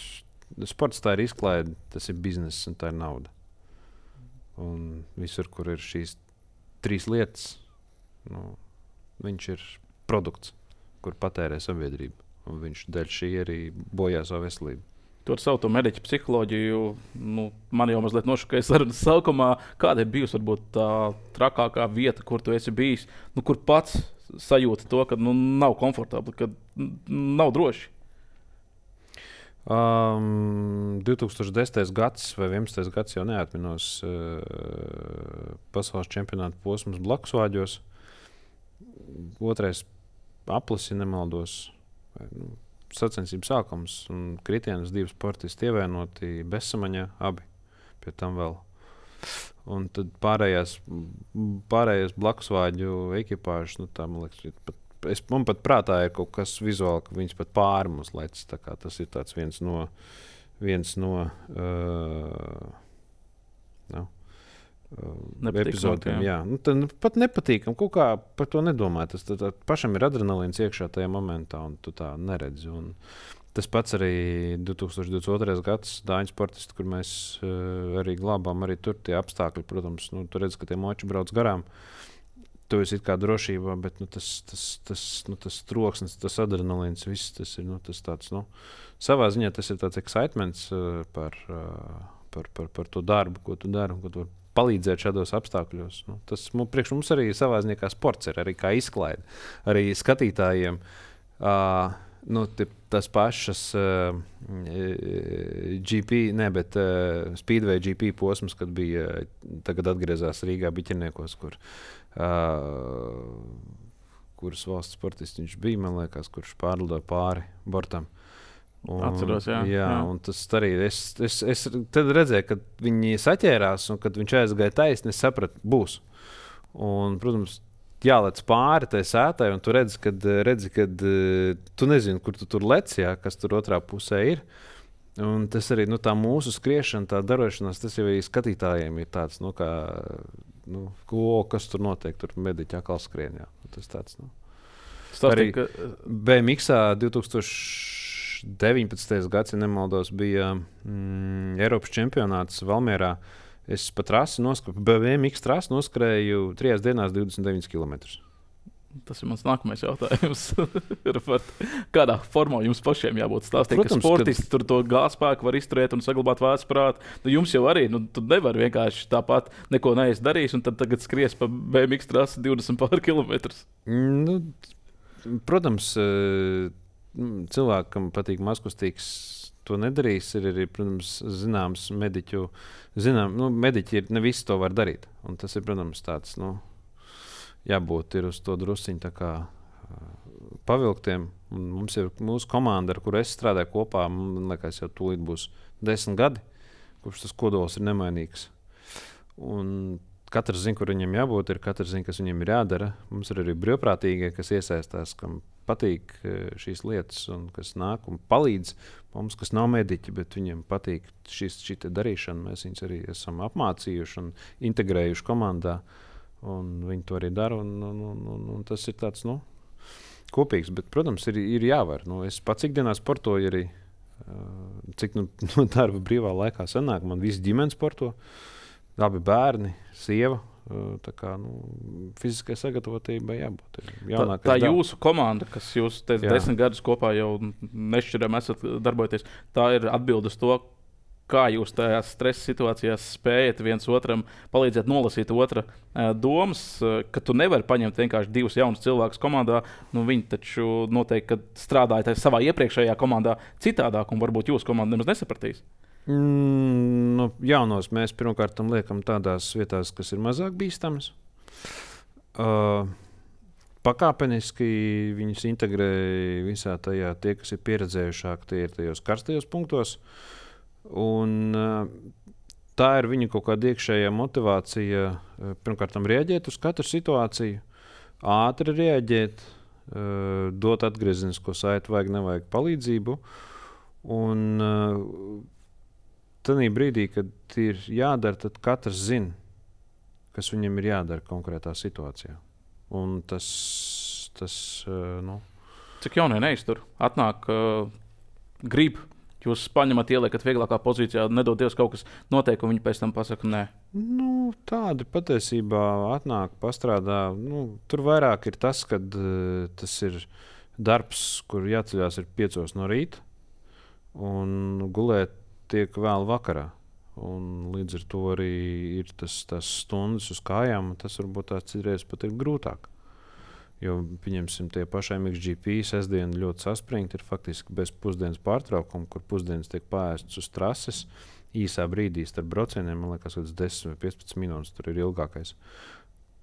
sports, tā ir izklaide, tas ir bizness un tā ir nauda. Un visur, kur ir šīs trīs lietas, viņš ir produkts, kur patērē sabiedrība. Un viņš dēļ šī arī bojā savu veselību. Tu ar savu mediķu psiholoģiju, man jau mazliet nošokēja sarunas sākumā. Kāda ir bijusi varbūt tā trakākā vieta, kur tu esi bijis, kur pats sajūti to, ka nav komfortabli, ka nav droši? 2010. gads vai 11. gads jau neatminos pasaules čempionāta posms Blakusvāģos. Otrais aplis, ja nemaldos. Sacensību sākums un kritienus 2 sportisti ievainoti bezsamaņā, abi pie tam vēl. Un tad pārējais Blakusvāģu ekipāžas, tā man liekas, man pat prātā ir kaut kas vizuāli, ka viņas pat pāri mums lec. Tas ir tāds viens no epizodiem. Jā. Pat nepatīkam, kaut kā par to nedomāt. Tas pašam ir adrenalīns iekšā tajā momentā, un tu tā neredzi. Un tas pats arī 2022. gads Dāņu sportisti, kur mēs arī glābām, arī tur tie apstākļi, protams, tu redz, ka tie moči brauc garām. Tu esi kā drošībā, bet tas troksnis, tas adrenalīns, viss tas ir tas tāds. Savā ziņā tas ir tāds excitements par to darbu, ko tu dari un ko tu vari palīdzēt šādos apstākļos. Tas priekš mums arī savā ziņā kā sports ir, arī kā izklaide. Arī skatītājiem tas pašas Speedway GP posms, kad bija tagad atgriezās Rīgā Biķerniekos, kuras valsts sportists viņš bija, man liekas, kurš pārlidoja pāri bortam. Atceros, jā. Un tas arī es tad redzēju, kad viņi saķērās un kad viņš aizgāja taisni, es sapratu, būs. Un, protams, jālec pāri tai sētai, un tu redzi, kad tu nezini, kur tu tur lec, kas tur otrā pusē ir. Un tas arī tā mūsu skriešana, tā darošanās, tas jau arī skatītājiem ir tāds, kas tur notiek, tur mediķi atkal skrien. Tas tāds, arī BMX-ā 2019. gads, ja nemaldos, bija Eiropas čempionāts Valmierā. Es pa trasi BMX trasi noskrēju 3 dienās 29 km. Tas ir mans nākamais jautājums. Kādā formā jums pašiem jābūt stāstīt, ka sportisti tur to gāzspēku var izturēt un saglabāt vēsprātu? Jums jau arī, tu nevari vienkārši tāpat neko neizdarījis un tad tagad skries pa BMX trasi 20 pār kilometrus. Protams, cilvēkam patīk mazkustīgs, to nedarīs. Ir arī, protams, zināms mediķu. Mediķi ir, ne visi to var darīt. Un tas ir, protams, tāds, jābūt ir uz to drusciņu tā kā pavilktiem. Un mums ir mūsu komanda, ar kuru es strādāju kopā, man liekas, jau tūlīt būs 10 gadi, kurš tas kodols ir nemainīgs. Un katrs zina, kur viņam jābūt, katrs zina, kas viņam ir jādara. Mums ir arī brīvprātīgie, kas iesaistās, kam patīk šīs lietas un kas nāk un palīdz mums, kas nav mediķi, bet viņiem patīk šī darīšana. Mēs viņus arī esam apmācījuši un integrējuši komandā, un viņi to arī dara. Un tas ir tāds kopīgs, bet, protams, ir jāvar. Es pats ikdienā sportoju arī, cik darba brīvā laikā sanāk. Man visi ģimene sporto, abi bērni, sieva Tā kā fiziskai sagatavotībai jābūt. Tā jūsu komanda, kas jūs 10 gadus kopā jau nešķiram esat darbojoties, tā ir atbilde uz to, kā jūs tajās stresa situācijās spējat viens otram palīdzēt nolasīt otra domas, ka tu nevari paņemt vienkārši 2 jaunus cilvēkus komandā. Viņi taču noteikti strādāja savā iepriekšējā komandā citādāk, un varbūt jūsu komanda nemaz nesapratīs. Jaunos mēs pirmkārt liekam tādās vietās, kas ir mazāk bīstamas. Pakāpeniski viņus integrē visā tajā, tie, kas ir pieredzējušāki, tie ir tajos karstajos punktos. Un, tā ir viņa kaut kāda iekšējā motivācija. Pirmkārt, reaģēt uz katru situāciju, ātri reaģēt, dot atgriezenisko saiti, vajag, nevajag palīdzību. Un tajā brīdī, kad ir jādara, tad katrs zina, kas viņam ir jādara konkrētā situācijā. Un tas Cik jaunie neiztur? Atnāk, grib. Jūs paņemat, ieliekat vieglākā pozīcijā, nedod Dievs, kaut kas notiek, un viņi pēc tam pasaka, nē. Tādi patiesībā atnāk, pastrādā. Tur vairāk ir tas, ka tas ir darbs, kur jāceļās ir 5 no rīta, un gulēt tiek vēl vakarā. Un līdz ar to arī ir tas stundas uz kājām, un tas varbūt tās citreiz pat ir grūtāk. Jo, pieņemsim, tie paši MXGP sestdiena ļoti saspringti, ir faktiski bez pusdienas pārtraukuma, kur pusdienas tiek pārēstas uz trases īsā brīdī starp braucieniem. Man liekas, ka 10 vai 15 minūtes tur ir ilgākais.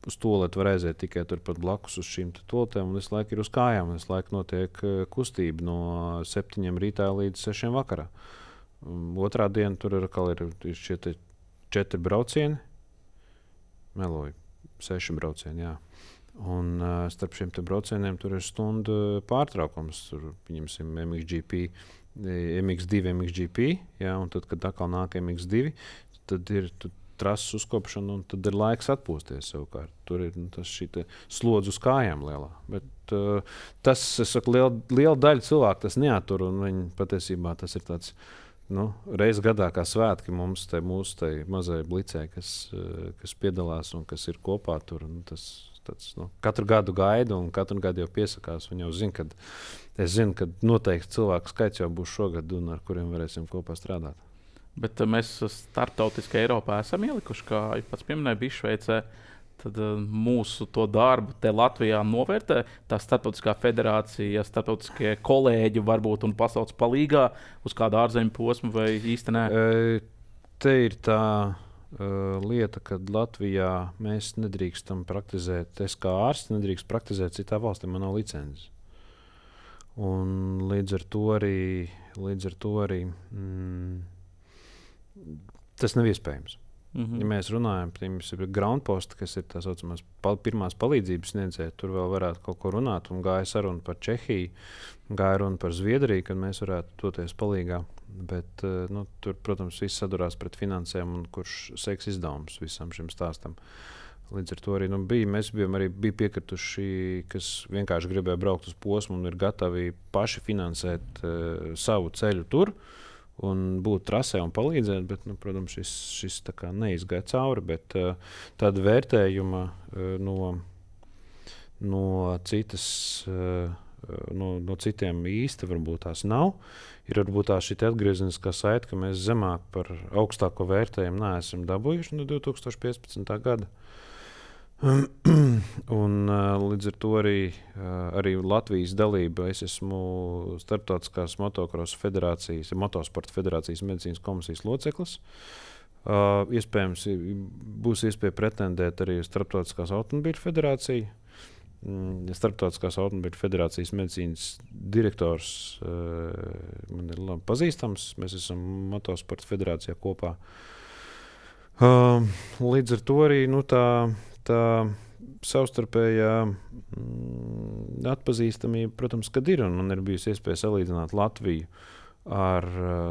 Uz tualeti var aiziet tikai turpat blakus uz šīm tualetēm, un visu laiku ir uz kājām. Visu laiku notiek kustība no 7 rītā līdz 6 vakarā. Otrā diena tur ir šie 4 braucieni. Meloju, 6 braucieni, jā. Un starp šiem braucieniem tur ir stundu pārtraukums. Tur, pieņemsim, MX2, MXGP, jā, un tad, kad atkal nāk MX2, tad ir trases uzkopšana, un tad ir laiks atpūsties savukārt. Tur ir šī slodze uz kājām lielā. Bet tas, es saku, liela daļa cilvēku tas neatur, un viņi patiesībā tas ir tāds reiz gadā kā svētki mums, mūsu mazai blicē, kas piedalās un kas ir kopā tur. Katru gadu gaidu, un katru gadu jau piesakās. Viņi jau zina, ka noteikti cilvēku skaits jau būs šogad, un ar kuriem varēsim kopā strādāt. Bet mēs starptautiski Eiropā esam ielikuši, kā pats pieminēja, bija Šveicē. Tad mūsu to darbu te Latvijā novērtē tā starptautiskā federācija, starptautiskie kolēģi varbūt un pasaules palīgā uz kādu ārzemju posmu vai īsti nē? Te ir tā lieta, ka Latvijā mēs nedrīkstam praktizēt, es kā ārsts nedrīkst praktizēt citā valstī, man nav licences. Un līdz ar to arī tas nav iespējams. Ja mēs runājam par groundpostu, kas ir tā saucamās pirmās palīdzības sniedzēji, tur vēl varētu kaut ko runāt. Un gāja saruna par Čehiju, gāja runa par Zviedriju, kad mēs varētu doties palīgā. Bet tur, protams, viss sadurās pret finansēm, un kurš seks izdevums visam šim stāstam. Līdz ar to arī mēs bija piekrituši, kas vienkārši gribēja braukt uz posmu un ir gatavi paši finansēt savu ceļu tur. Un būt trasē un palīdzēt, bet, protams, šis tā kā neizgāja cauri. Bet tāda vērtējuma no citiem īsti varbūt tās nav. Ir varbūt tā šī atgriezeniskā saite, ka mēs zemāk par augstāko vērtējumu neesam dabūjuši no 2015. gada. Un līdz ar to arī Latvijas dalība. Es esmu Starptautiskās motocross federācijas, motosporta federācijas medicīnas komisijas loceklis. Iespējams, būs iespēja pretendēt arī Starptautiskās automobīļu federāciju. Starptautiskās automobīļu federācijas medicīnas direktors man ir labi pazīstams. Mēs esam motosporta federācijā kopā. Līdz ar to arī tā savstarpējā atpazīstamība, protams, kad ir. Un man ir bijusi iespēja salīdzināt Latviju ar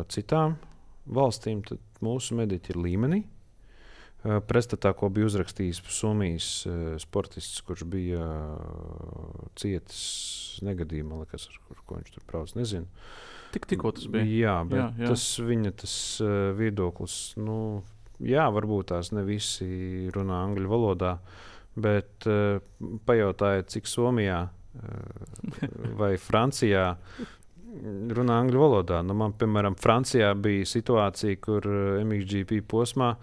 citām valstīm. Tad mūsu mediķi ir līmenī. Pretstatā, ko bija uzrakstījis Somijas sportists, kurš bija cietis negadījumā, liekas, ar ko viņš tur brauc, nezinu. Tikko tas bija. Jā, bet jā. Tas viņa viedoklis, jā, varbūt tās ne visi runā angļu valodā, bet pajautājiet, cik Somijā vai Francijā runā angļu valodā. Nu, man, piemēram, Francijā bija situācija, kur MXGP posmā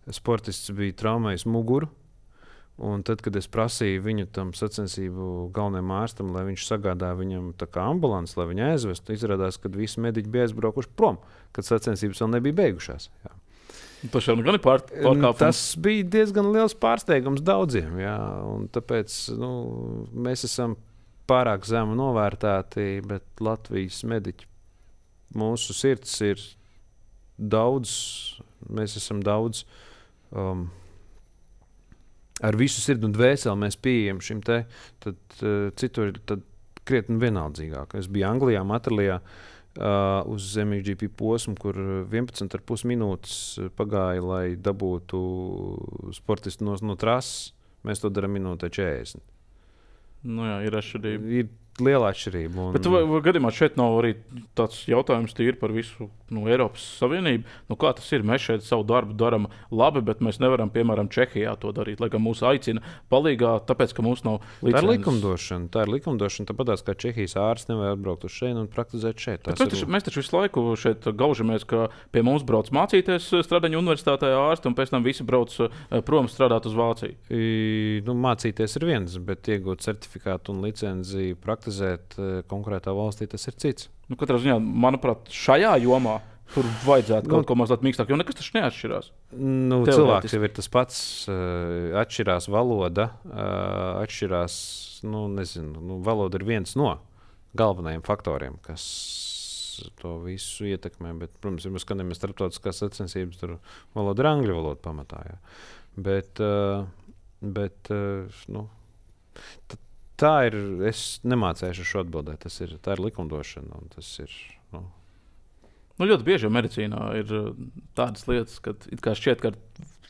sportists bija traumējis muguru. Un tad, kad es prasīju viņu tam sacensību galvenajam ārstam, lai viņš sagādāja viņam tā kā ambulanci, lai viņu aizvestu, izrādās, ka visi mediķi bija aizbraukuši prom, kad sacensības vēl nebija beigušās. Jā. Tas jau gan ir pārkāpums. Tas bija diezgan liels pārsteigums daudziem. Jā, un tāpēc mēs esam pārāk zemu novērtēti, bet Latvijas mediķi, mūsu sirds ir daudz, mēs esam daudz. Ar visu sirdi un dvēseli mēs pieejam šim te, tad citur ir krietni vienaldzīgāk. Es biju Anglijā, Materlijā uz MXGP posmu, kur 11,5 minūtes pagāja, lai dabūtu sportistu no trases. Mēs to darām minūtē 40. Nu jā, ir atšķirība. Ir liela atšķirība. Bet gadījumā šeit nav arī tāds jautājums par visu Eiropas Savienību. Kā tas ir? Mēs šeit savu darbu darām labi, bet mēs nevaram, piemēram, Čehijā to darīt, lai gan mūs aicina palīgā, tāpēc, ka mums nav licences. Tā ir likumdošana. Tāpatās kā Čehijas ārsts nevar atbraukt uz šeit un praktizēt šeit. Mēs taču visu laiku šeit gaužamies, ka pie mums brauc mācīties Stradaņu universitātē ārsti, un pēc tam visi brauc prom strādāt uz Vāciju. Mācīties ir viens, bet iegūt certifikātu un licenciju praktizēt konkrētā valstī, tas ir cits. Katrā ziņā, manuprāt, šajā jomā tur vajadzētu kaut ko mazliet mīkstāk, jo nekas taču neatšķirās. Cilvēks jau ir tas pats, atšķirās valoda, atšķirās, valoda ir viens no galvenajiem faktoriem, kas to visu ietekmē. Bet, protams, ja mēs skatāmies starptautiskās sacensības, tur valoda ir angļu valoda pamatā. Jā. Bet tā ir, es nemācēšu šo atbildēt, tā ir likumdošana, un tas ir, ļoti bieži medicīnā ir tādas lietas, kad it kā šķiet, ka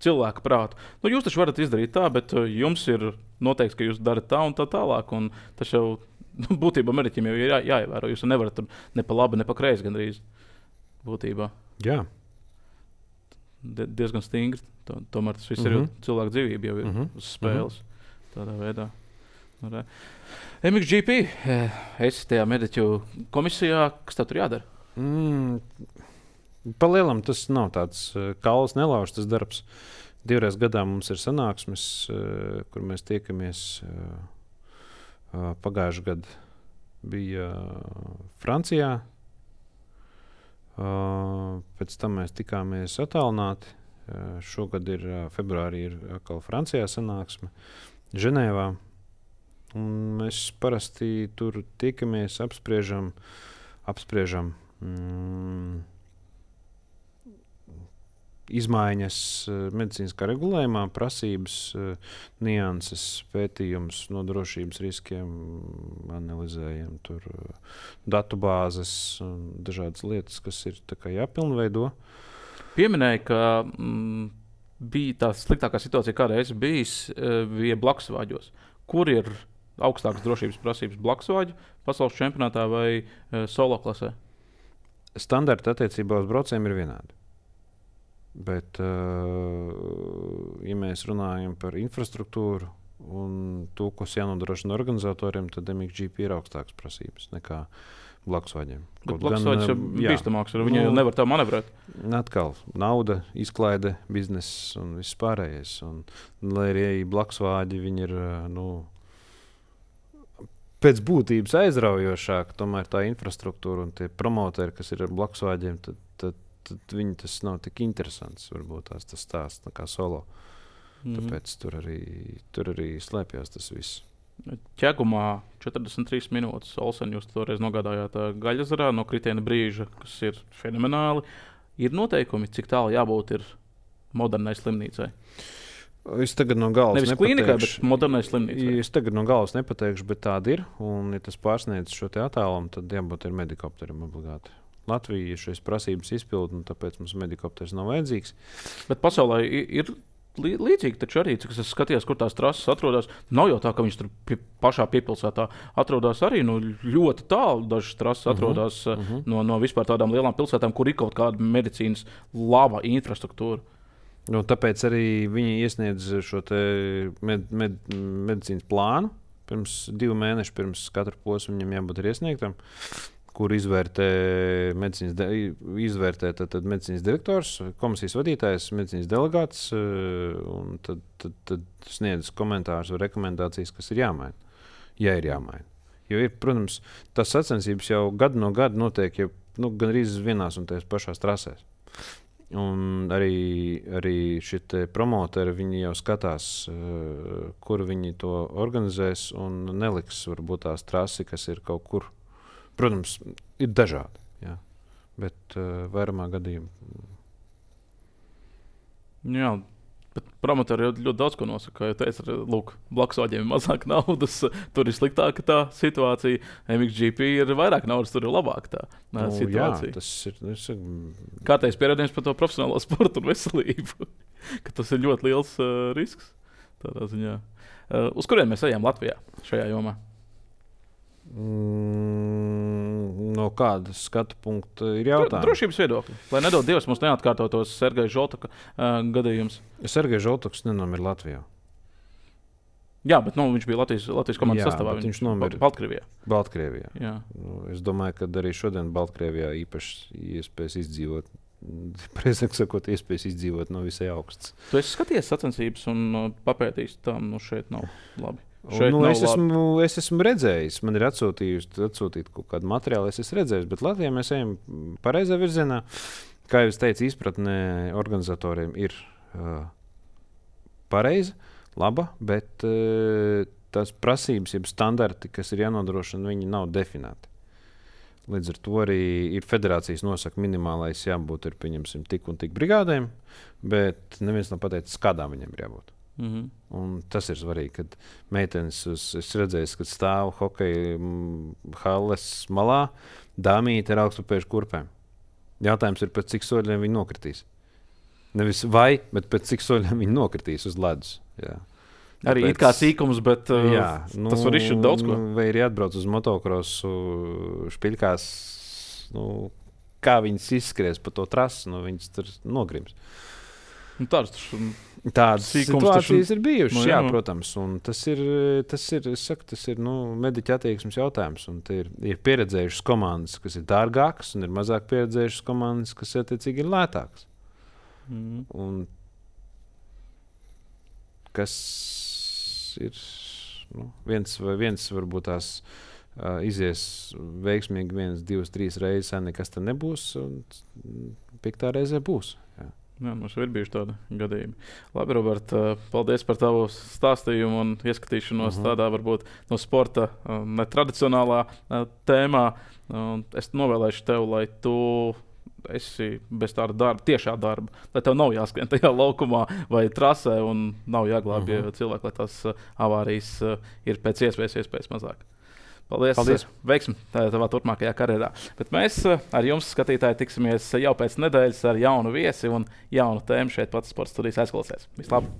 cilvēka prātu. Jūs taču varat izdarīt tā, bet jums ir noteikts, ka jūs darat tā un tā tālāk, un tas jau būtībā mediķiem jau ir jāievēro. Jūs nevarat tur ne pa labi, ne pa kreisi gandrīz būtībā. Jā. Diezgan stingri. Tomēr tas viss ir cilvēku dzīvība jau ir uz spēles tādā veidā. MXGP, esi tajā mediķu komisijā, kas tev tur jādara? Pa lielam tas nav tāds kauls nelauž tas darbs. 2 reizes gadā mums ir sanāksmes, kur mēs tiekamies. Pagājušajā gadā bija Francijā. Pēc tam mēs tikāmies attālināti. Šogad ir februārī ir atkal Francijā sanāksme Ženēvā. Un mēs parasti tur tiekamies, apspriežam izmaiņas medicīniskā regulējumā, prasības, nianses, pētījums no drošības riskiem, analizējam tur datubāzes un dažādas lietas, kas ir tā kā jāpilnveido. Pieminēja, ka bija tā sliktākā situācija, kādā es bija blakusvāģos. Kur ir augstākas drošības prasības blakusvāģu pasaules čempionātā vai solo klasē? Standarti attiecībā uz braucējiem ir vienādi. Bet, ja mēs runājam par infrastruktūru un to, kas jānodrošina organizatoriem, tad MXGP ir augstākas prasības nekā blakusvāģiem. Blakusvāģis ir bīstamāks, viņi jau nevar tā manevrēt. Atkal nauda, izklaide, bizness un viss pārējais. Un, lai arī blakusvāģi viņi ir pēc būtības aizraujošāk, tomēr tā infrastruktūra un tie promoteri, kas ir ar blakusvāģiem, tad viņi tas nav tik interesants. Varbūt tas stāsts tā kā solo. Tāpēc tur arī slēpjas tas viss. Ķegumā 43 minūtes. Olsen, jūs toreiz nogādājāt Gaļazarā no kritiena brīža, kas ir fenomenāli. Ir noteikumi, cik tālu jābūt ir modernai slimnīcai? Es tagad no galvas nevis klīnikai, bet modernai slimnīcai. Es tagad no galvas nepateikšu, bet tāda ir. Un, ja tas pārsniedz šo attālumu, tad jābūt ir medikopterim obligāti. Latvija šīs prasības izpilda, un tāpēc mums medikopters nav vajadzīgs. Bet pasaulē ir līdzīgi, taču arī, cik es skatījos, kur tās trases atrodas, nav jau tā, ka viņas tur pašā piepilsētā atrodas arī ļoti tālu. Dažas trases atrodas no vispār tādām lielām pilsētām, kur ir kaut kāda medicīnas laba infrastruktūra. Nu, tāpēc arī viņi iesniedz šo medicīnas plānu. Pirms 2 mēnešu, pirms katra posma viņam jābūt iesniegtam, kur izvērtē medicīnas direktors, komisijas vadītājs, medicīnas delegāts, un tad sniedz komentārus vai rekomendācijas, kas ir jāmaina, ja ir jāmaina. Jo ir, protams, tas sacensības jau gadu no gada notiek jau gan arī vienās un tajās pašās trasēs. Un arī šie promoteri, viņi jau skatās, kur viņi to organizēs un neliks varbūt tās trasi, kas ir kaut kur. Protams, ir dažādi, jā, bet vairumā gadījumā. Jā, bet promotori jau ļoti daudz ko nosaka. Kā jau teicu, lūk, blakus vaļiem ir mazāk naudas, tur ir sliktāka tā situācija. MXGP ir vairāk naudas, tur ir labāka tā situācija. Jā, tas ir Kārtējs pierādījums par to profesionālo sportu un veselību, ka tas ir ļoti liels risks tādā ziņā. Uz kuriem mēs ejam Latvijā šajā jomā? No kāda skatu punkta ir jautājums? Drošības viedokļi. Lai nedod Dievs, mums neatkārtotos Sergeja Žoltaka gadījums. Sergejs Žoltaks nenomira Latvijā. Jā, bet viņš bija Latvijas komandas sastāvā. Viņš nomira Baltkrievijā. Es domāju, ka arī šodien Baltkrievijā īpaši iespējas izdzīvot. Precīzāk sakot, iespējas izdzīvot no visai augstas. Tu esi skatījies sacensības un papētījis, tam šeit nav labi. Es esmu redzējis, man ir atsūtīti kaut kādu materiālu, es esmu redzējis, bet Latvijā mēs ejam pareizā virzienā. Kā jau es teicu, izpratne organizatoriem ir pareiza, laba, bet tās prasības, jeb standarti, kas ir jānodrošina, viņi nav definēti. Līdz ar to arī ir federācijas nosaka minimālais jābūt ir, pieņemsim, tik un tik brigādēm, bet neviens nav pateicis, kādām viņiem ir jābūt. Un tas ir svarīgi, kad meitenes, es redzēju, kad stāv hokeja halles malā, dāmīte ar augstupējušu kurpēm. Jautājums ir, pēc cik soļiem viņi nokritīs. Nevis vai, bet pēc cik soļiem viņi nokritīs uz ledus. Jā. Arī it kā sīkums, bet tas var izšķirt daudz ko. Vai arī atbrauc uz motokrosu špiļkās, kā viņas izskries pa to trasi, viņas tur nogrims. Tādas situācijas ir bijušas, jā, protams. Tas ir mediķa attieksmes jautājums. Un ir pieredzējušas komandas, kas ir dārgākas, un ir mazāk pieredzējušas komandas, kas attiecīgi ir lētākas. Un kas ir viens varbūt tās izies veiksmīgi 1, 2, 3 reizes, nekas te nebūs, un 5. reizē būs. Jā. Jā, mums ir bijuši tādi gadījumi. Labi, Robert, paldies par tavu stāstījumu un ieskatīšanos tādā varbūt no sporta netradicionālā tēmā. Es novēlēšu tev, lai tu esi bez tāda darba, tiešā darba, lai tev nav jāskrien tajā laukumā vai trasē un nav jāglābj cilvēki, lai tās avārijas ir pēc iespējas mazāk. Paldies. Veiksmi tavā turpmākajā karjerā. Bet mēs ar jums, skatītāji, tiksimies jau pēc nedēļas ar jaunu viesi un jaunu tēmu šeit pats Sports studijas aizklausēs. Vislabāk!